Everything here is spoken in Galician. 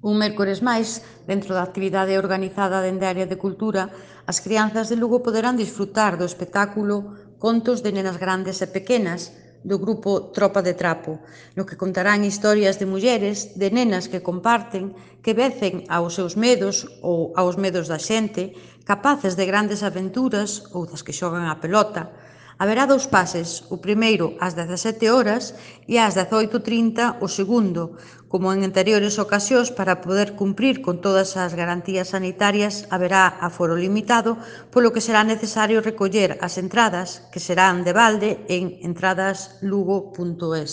Un mércores máis, dentro da actividade organizada dende a área de cultura, as crianzas de Lugo poderán disfrutar do espectáculo Contos de nenas grandes e pequenas, do grupo Tropa de Trapo, no que contarán historias de mulleres, de nenas que comparten, que vencen aos seus medos ou aos medos da xente, capaces de grandes aventuras ou das que xogan á pelota. Haberá dous pases, o primeiro ás 17 horas e ás 18:30 o segundo, como en anteriores ocasións. Para poder cumprir con todas as garantías sanitarias haberá aforo limitado, polo que será necesario recoller as entradas, que serán de balde en entradaslugo.es.